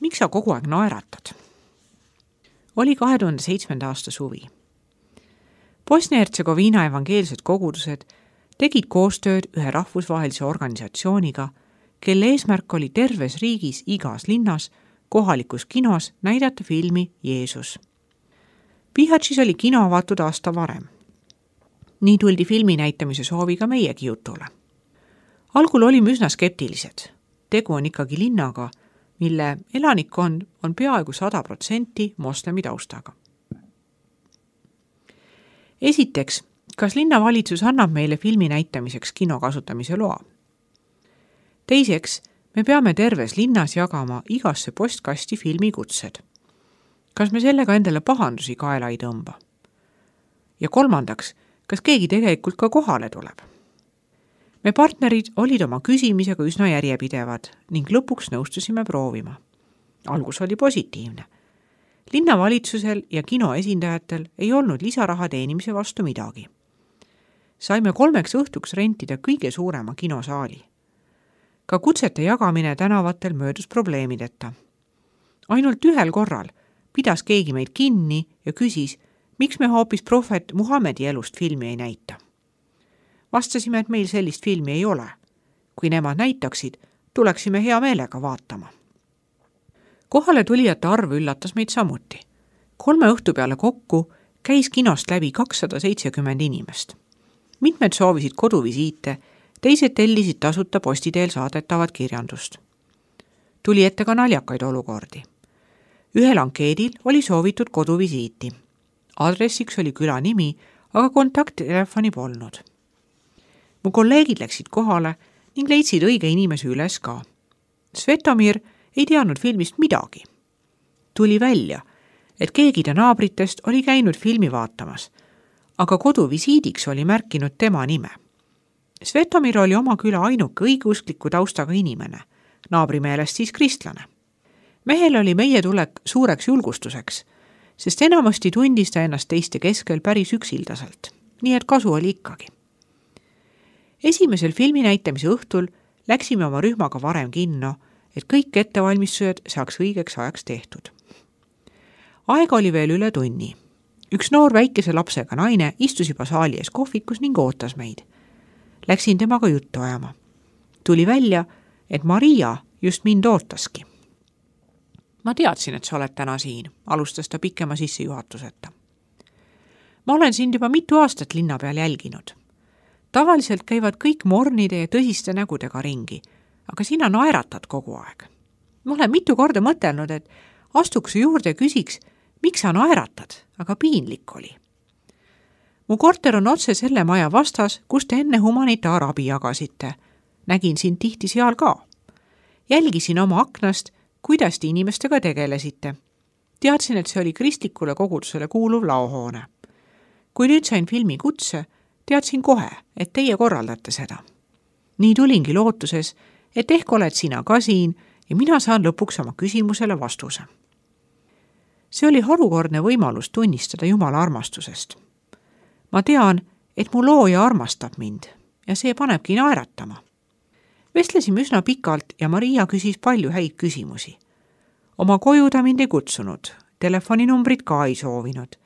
miks sa kogu aeg naeratad? Oli 2007. aasta suvi. Bosnia-Hertsegoviina evangeelsed kogudused tegid koostööd ühe rahvusvahelise organisatsiooniga, kelle eesmärk oli terves riigis igas linnas kohalikus kinos näidata filmi Jeesus. Bihaćis oli kino avatud aasta varem. Nii tuldi filmi näitamise sooviga meiegi jutule. Algul olime üsna skeptilised. Tegu on ikkagi linnaga, mille elanikkond on peaaegu 100% moslemi taustaga. Esiteks, kas linnavalitsus annab meile filmi näitamiseks kino kasutamise loa? Teiseks, me peame terves linnas jagama igasse postkasti filmikutsed. Kas me sellega endale pahandusi kaela ei tõmba? Ja kolmandaks, kas keegi tegelikult ka kohale tuleb? Me partnerid olid oma küsimisega üsna järjepidevad ning lõpuks nõustusime proovima. Algus oli positiivne. Linnavalitsusel ja kino esindajatel ei olnud lisaraha teenimise vastu midagi. Saime 3 õhtuks rentida kõige suurema kinosaali. Ka kutsete jagamine tänavatel möödus probleemideta. Ainult ühel korral pidas keegi meid kinni ja küsis, miks me hoopis prohvet Muhamedi elust filmi ei näita. Vastasime, et meil sellist filmi ei ole. Kui nemad näitaksid, tuleksime hea meelega vaatama. Kohale tulijate arv üllatas meid samuti. 3 õhtu peale kokku käis kinost läbi 270 inimest. Mitmed soovisid koduvisiite, teised tellisid tasuta postiteel saadetavat kirjandust. Tuli ette ka naljakaid olukordi. Ühel ankeedil oli soovitud koduvisiiti. Adressiks oli küla nimi, aga kontakttelefoni polnud. Mu kolleegid läksid kohale ning leidsid õige inimese üles ka. Svetomir ei teadnud filmist midagi. Tuli välja, et keegi ta naabritest oli käinud filmi vaatamas, aga koduvisiidiks oli märkinud tema nime. Svetomir oli oma küla ainuke õigeuskliku taustaga inimene, naabri meelest siis kristlane. Mehel oli meie tulek suureks julgustuseks, sest enamasti tundis ta ennast teiste keskel päris üksildaselt, nii et kasu oli ikkagi. Esimesel filmi näitamise õhtul läksime oma rühmaga varem kinno, et kõik ettevalmistused saaks õigeks ajaks tehtud. Aega oli veel üle tunni. Üks noor väikese lapsega naine istus juba saali ees kohvikus ning ootas meid. Läksin temaga juttu ajama. Tuli välja, et Maria just mind ootaski. Ma teadsin, et sa oled täna siin, alustas ta pikema sissejuhatuseta. Ma olen sind juba mitu aastat linna peal jälginud. Tavaliselt käivad kõik mornide ja tõsiste nägudega ringi, aga sina naeratad kogu aeg. Ma olen mitu korda mõtelnud, et astuks juurde ja küsiks, miks sa naeratad, aga piinlik oli. Mu korter on otse selle maja vastas, kus te enne humanitaarabi jagasite. Nägin sind tihti seal ka. Jälgisin oma aknast, kuidas te inimestega tegelesite. Teadsin, et see oli kristlikule kogudusele kuuluv laohoone. Kui nüüd sain filmi kutse, teadsin kohe, et teie korraldate seda. Nii tulingi lootuses, et ehk oled sina ka siin ja mina saan lõpuks oma küsimusele vastuse. See oli harukordne võimalus tunnistada Jumala armastusest. Ma tean, et mu looja armastab mind ja see panebki naeratama. Vestlesime üsna pikalt ja Maria küsis palju häid küsimusi. Oma koju ta mind ei kutsunud, telefoninumbrit ka ei soovinud,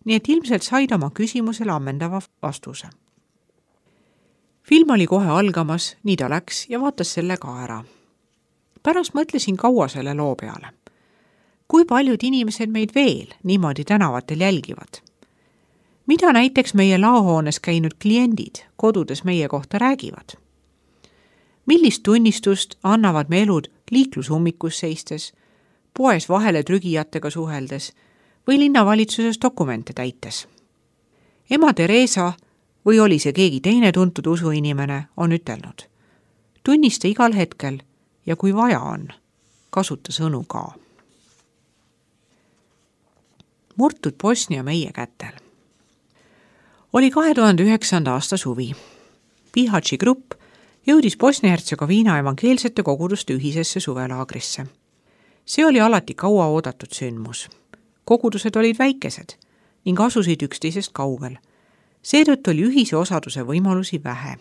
nii et ilmselt said oma küsimusele ammendava vastuse. Film oli kohe algamas, nii ta läks ja vaatas selle ka ära. Pärast mõtlesin kaua selle loo peale. Kui paljud inimesed meid veel niimoodi tänavatel jälgivad? Mida näiteks meie laohoones käinud kliendid kodudes meie kohta räägivad? Millist tunnistust annavad me elud liiklushummikus seistes, poes vahele trügijatega suheldes või linnavalitsuses dokumente täites? Ema Teresa või oli see keegi teine tuntud usuinimene, on ütelnud. Tunnista igal hetkel ja kui vaja on, kasuta sõnu ka. Murtud Bosnia meie kätel. Oli 2009. aasta suvi. Bihaći grupp jõudis Bosnia-Hertsegoviina evangeelsete koguduste ühisesse suvelaagrisse. See oli alati kaua oodatud sündmus. Kogudused olid väikesed ning asusid üksteisest kaugel. Seetõttu oli ühise osaduse võimalusi vähe.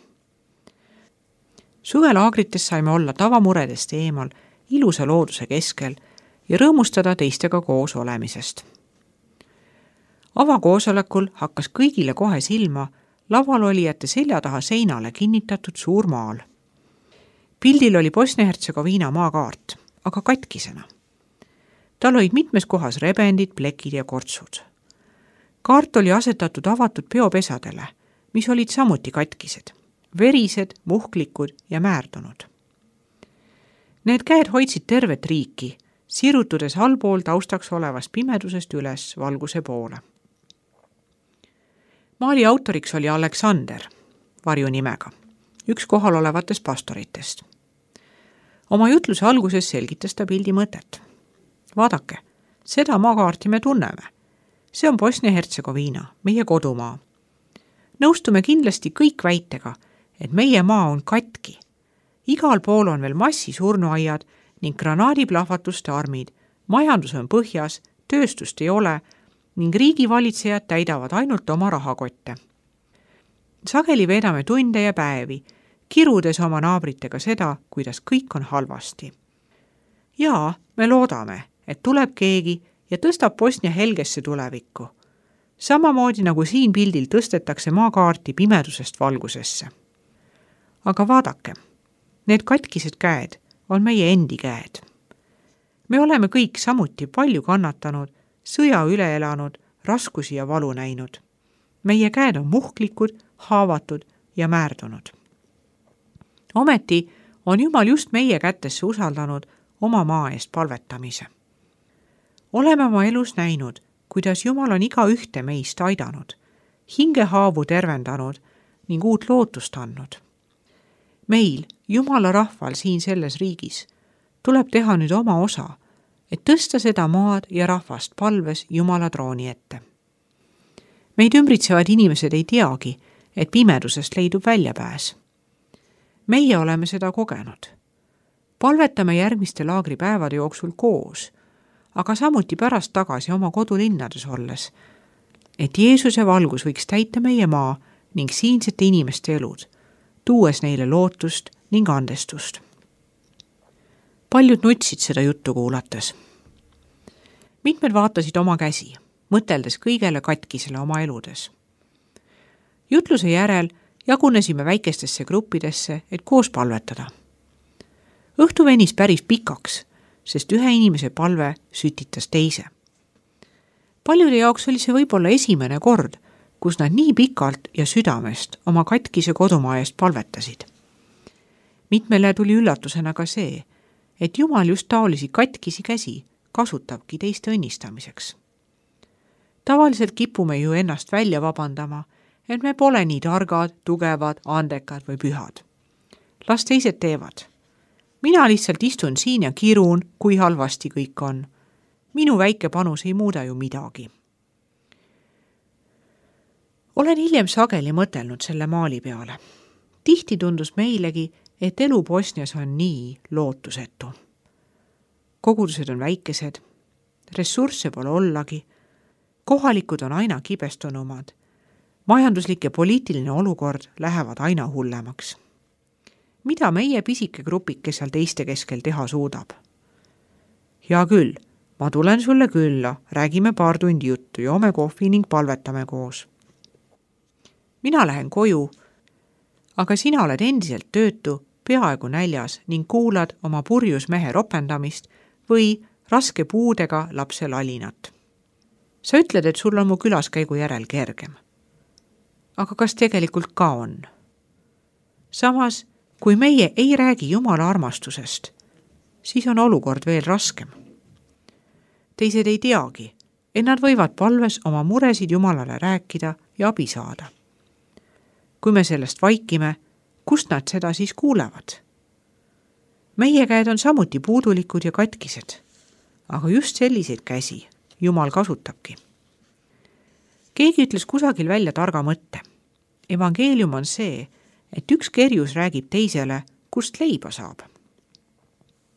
Suvelaagrites saime olla tavamuredest eemal, ilusa looduse keskel ja rõõmustada teistega koos olemisest. Avakoosolekul hakkas kõigile kohe silma lavalolijate selja taha seinale kinnitatud suur maal. Pildil oli Bosnia-Hertsegoviina maakaart, aga katkisena. Tal olid mitmes kohas rebendid, plekid ja kortsud. Kaart oli asetatud avatud peopesadele, mis olid samuti katkised, verised, muhklikud ja määrdunud. Need käed hoidsid tervet riiki, sirutudes allpool taustaks olevast pimedusest üles valguse poole. Maali autoriks oli Aleksander, varjunimega, üks kohal olevatest pastoritest. Oma jutluse alguses selgitas ta pildi mõtet. Vaadake, seda maakaarti me tunneme. See on Bosnia-Hertsegoviina, meie kodumaa. Nõustume kindlasti kõik väitega, et meie maa on katki. Igal pool on veel massi surnuaiad ning granaadiplahvatuste armid, majandus on põhjas, tööstust ei ole ning riigivalitsejad täidavad ainult oma rahakotte. Sageli veedame tunde ja päevi, kirudes oma naabritega seda, kuidas kõik on halvasti. Jaa, me loodame, et tuleb keegi ja tõstab Bosnia helgesse tulevikku. Samamoodi nagu siin pildil tõstetakse maakaarti pimedusest valgusesse. Aga vaadake, need katkised käed on meie endi käed. Me oleme kõik samuti palju kannatanud, sõja üle elanud, raskusi ja valu näinud. Meie käed on muhklikud, haavatud ja määrdunud. Ometi on Jumal just meie kätesse usaldanud oma maa eest palvetamise. Oleme oma elus näinud, kuidas Jumal on iga ühte meist aidanud, hingehaavu tervendanud ning uut lootust andnud. Meil, Jumala rahval siin selles riigis, tuleb teha nüüd oma osa, et tõsta seda maad ja rahvast palves Jumala trooni ette. Meid ümbritsevad inimesed ei teagi, et pimedusest leidub väljapääs. Meie oleme seda kogenud. Palvetame järgmiste laagripäevade jooksul koos, aga samuti pärast tagasi oma kodulinnades olles, et Jeesuse valgus võiks täita meie maa ning siinsete inimeste elud, tuues neile lootust ning andestust. Paljud nutsid seda juttu kuulates. Mitmed vaatasid oma käsi, mõteldes kõigele katkisele oma eludes. Jutluse järel jagunesime väikestesse gruppidesse, et koos palvetada. Õhtu venis päris pikaks, sest ühe inimese palve sütitas teise. Paljude jaoks oli see võib-olla esimene kord, kus nad nii pikalt ja südamest oma katkise kodumaa eest palvetasid. Mitmele tuli üllatusena ka see, et Jumal just taolisi katkisi käsi kasutabki teiste õnnistamiseks. Tavaliselt kipume ju ennast välja vabandama, et me pole nii targad, tugevad, andekad või pühad. Las teised teevad. Mina lihtsalt istun siin ja kirun, kui halvasti kõik on. Minu väike panus ei muuda ju midagi. Olen hiljem sageli mõtelnud selle maali peale. Tihti tundus meilegi, et elu Bosnias on nii lootusetu. Kogudused on väikesed, ressursse pole ollagi, kohalikud on aina kibestunumad, majanduslik ja poliitiline olukord lähevad aina hullemaks. Mida meie pisike grupike seal teiste keskel teha suudab? Hea küll, ma tulen sulle külla, räägime paar tundi juttu, joome kohvi ning palvetame koos. Mina lähen koju, aga sina oled endiselt töötu, peaaegu näljas ning kuulad oma purjus mehe ropendamist või raske puudega lapse lalinat. Sa ütled, et sul on mu külaskäigu järel kergem. Aga kas tegelikult ka on? Samas, kui meie ei räägi Jumala armastusest, siis on olukord veel raskem. Teised ei teagi, et nad võivad palves oma muresid Jumalale rääkida ja abi saada. Kui me sellest vaikime, kust nad seda siis kuulevad? Meie käed on samuti puudulikud ja katkised, aga just selliseid käsi Jumal kasutabki. Keegi ütles kusagil välja targa mõtte. Evangeelium on see, et üks kerjus räägib teisele, kust leiba saab.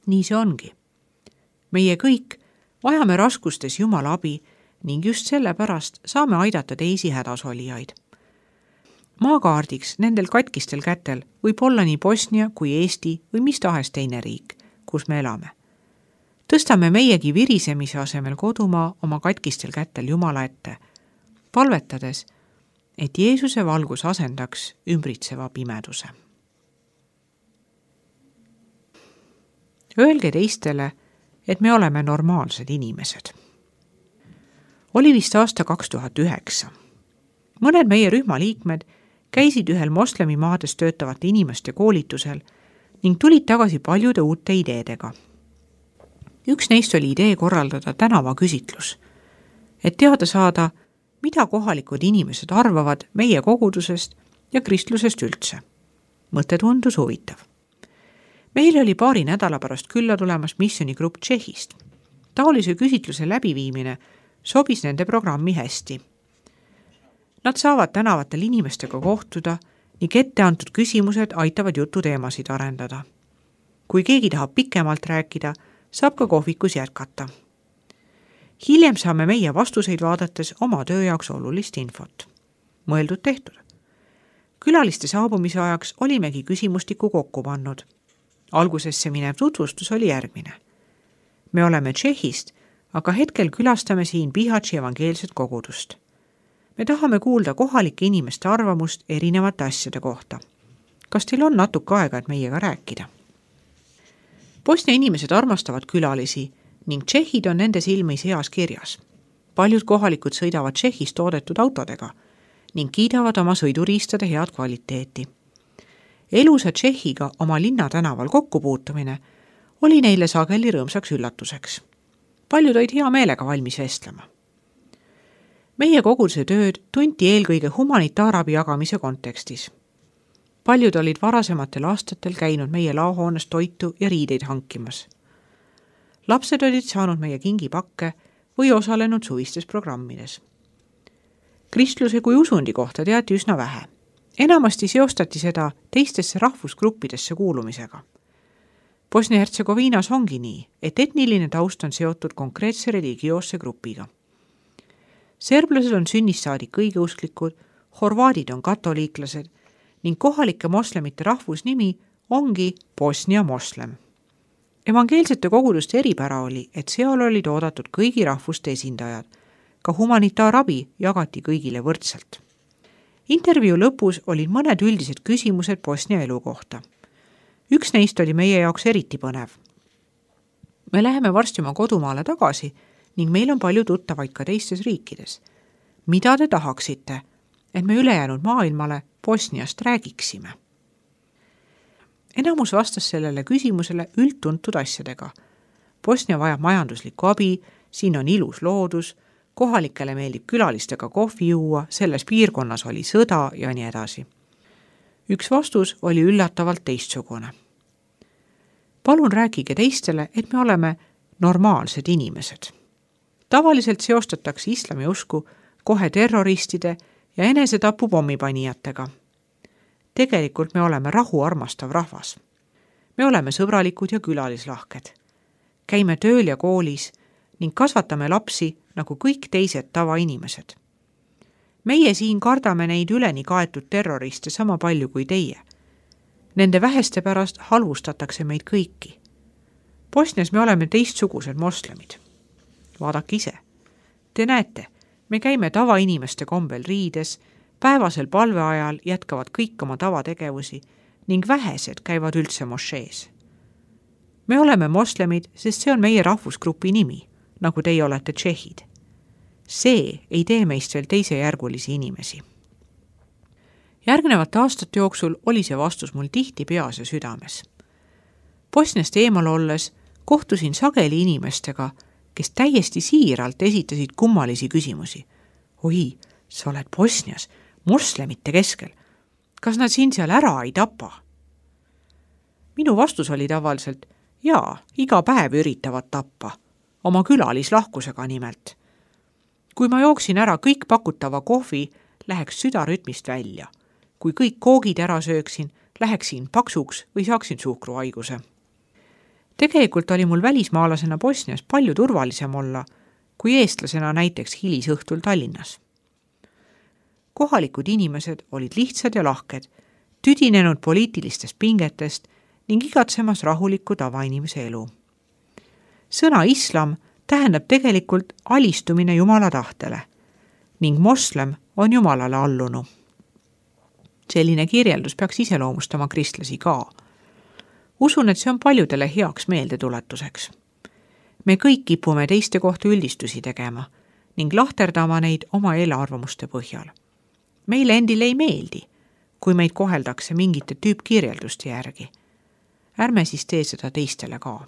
Nii see ongi. Meie kõik vajame raskustes Jumala abi ning just sellepärast saame aidata teisi hädasolijaid. Maakaardiks nendel katkistel kätel võib olla nii Bosnia kui Eesti või mis tahes teine riik, kus me elame. Tõstame meiegi virisemise asemel kodumaa oma katkistel kätel Jumala ette, palvetades, et Jeesuse valgus asendaks ümbritseva pimeduse. Öelge teistele, et me oleme normaalsed inimesed. Oli vist aasta 2009. Mõned meie rühma liikmed käisid ühel moslemimaades töötavate inimeste koolitusel ning tulid tagasi paljude uute ideedega. Üks neist oli idee korraldada tänavaküsitlus, et teada saada, mida kohalikud inimesed arvavad meie kogudusest ja kristlusest üldse. Mõte tundus huvitav. Meil oli paari nädala pärast külla tulemas missioonigrupp Tšehhist. Taolise küsitluse läbiviimine sobis nende programmi hästi. Nad saavad tänavatel inimestega kohtuda ning ette antud küsimused aitavad jututeemasid arendada. Kui keegi tahab pikemalt rääkida, saab ka kohvikus jätkata. Hiljem saame meie vastuseid vaadates oma töö jaoks olulist infot. Mõeldud tehtud. Külaliste saabumise ajaks olimegi küsimustiku kokku pannud. Algusesse minev tutvustus oli järgmine. Me oleme Tšehhist, aga hetkel külastame siin Bihaći evangeelset kogudust. Me tahame kuulda kohalike inimeste arvamust erinevate asjade kohta. Kas teil on natuke aega, et meiega rääkida? Bosnia inimesed armastavad külalisi ning tšehhid on nende silmis heas kirjas. Paljud kohalikud sõidavad Tšehhis toodetud autodega ning kiidavad oma sõiduriistade head kvaliteeti. Elusa Tšehhiga oma linna tänaval kokkupuutumine oli neile sageli rõõmsaks üllatuseks. Paljud olid hea meelega valmis vestlema. Meie koguduse tööd tunti eelkõige humanitaarabi jagamise kontekstis. Paljud olid varasematel aastatel käinud meie laohoones toitu ja riideid hankimas. Lapsed olid saanud meie kingipakke või osalenud suvistes programmides. Kristluse kui usundi kohta teati üsna vähe. Enamasti seostati seda teistesse rahvusgruppidesse kuulumisega. Bosnia-Hertsegoviinas ongi nii, et etniline taust on seotud konkreetse religioosse grupiga. Serblased on sünnist saadik õigeusklikud, horvaadid on katoliiklased ning kohalike moslemite rahvusnimi ongi Bosnia moslem. Evangeelsete koguduste eripära oli, et seal olid oodatud kõigi rahvuste esindajad. Ka humanitaarabi jagati kõigile võrdselt. Intervjuu lõpus olid mõned üldised küsimused Bosnia elu kohta. Üks neist oli meie jaoks eriti põnev. Me läheme varsti oma kodumaale tagasi ning meil on palju tuttavaid ka teistes riikides. Mida te tahaksite, et me ülejäänud maailmale Bosniast räägiksime? Enamus vastas sellele küsimusele üldtuntud asjadega. Bosnia vajab majanduslikku abi, siin on ilus loodus, kohalikele meeldib külalistega kohvi juua, selles piirkonnas oli sõda ja nii edasi. Üks vastus oli üllatavalt teistsugune. Palun rääkige teistele, et me oleme normaalsed inimesed. Tavaliselt seostatakse islami usku kohe terroristide ja enesetapu pommipanijatega. Tegelikult me oleme rahu armastav rahvas. Me oleme sõbralikud ja külalislahked. Käime tööl ja koolis ning kasvatame lapsi nagu kõik teised tavainimesed. Meie siin kardame neid üleni kaetud terroriste sama palju kui teie. Nende väheste pärast halvustatakse meid kõiki. Bosnias me oleme teistsugused moslemid. Vaadake ise. Te näete, me käime tavainimeste kombel riides, päevasel palveajal jätkavad kõik oma tavategevusi ning vähesed käivad üldse mošees. Me oleme moslemid, sest see on meie rahvusgrupi nimi, nagu teie olete tšehhid. See ei tee meist veel teisejärgulisi inimesi. Järgnevate aastate jooksul oli see vastus mul tihti peas ja südames. Bosniast eemal olles kohtusin sageli inimestega, kes täiesti siiralt esitasid kummalisi küsimusi. Oi, sa oled Bosnias, moslemite keskel. Kas nad siin seal ära ei tapa? Minu vastus oli tavaliselt, jaa, iga päev üritavad tappa. Oma külalislahkusega nimelt. Kui ma jooksin ära kõik pakutava kohvi, läheks südarütmist välja. Kui kõik koogid ära sööksin, läheksin paksuks või saaksin suhkruhaiguse. Tegelikult oli mul välismaalasena Bosnias palju turvalisem olla, kui eestlasena näiteks hilisõhtul Tallinnas. Kohalikud inimesed olid lihtsad ja lahked, tüdinenud poliitilistest pingetest ning igatsemas rahulikku tavainimese elu. sõna islam tähendab tegelikult alistumine Jumala tahtele ning moslem on Jumalale allunu. Selline kirjeldus peaks iseloomustama kristlasi ka. Usun, et see on paljudele heaks meeldetuletuseks. Me kõik kipume teiste kohta üldistusi tegema ning lahterdama neid oma eelarvamuste põhjal. Meile endile ei meeldi, kui meid koheldakse mingite tüüpkirjelduste järgi. Ärme siis tee seda teistele ka.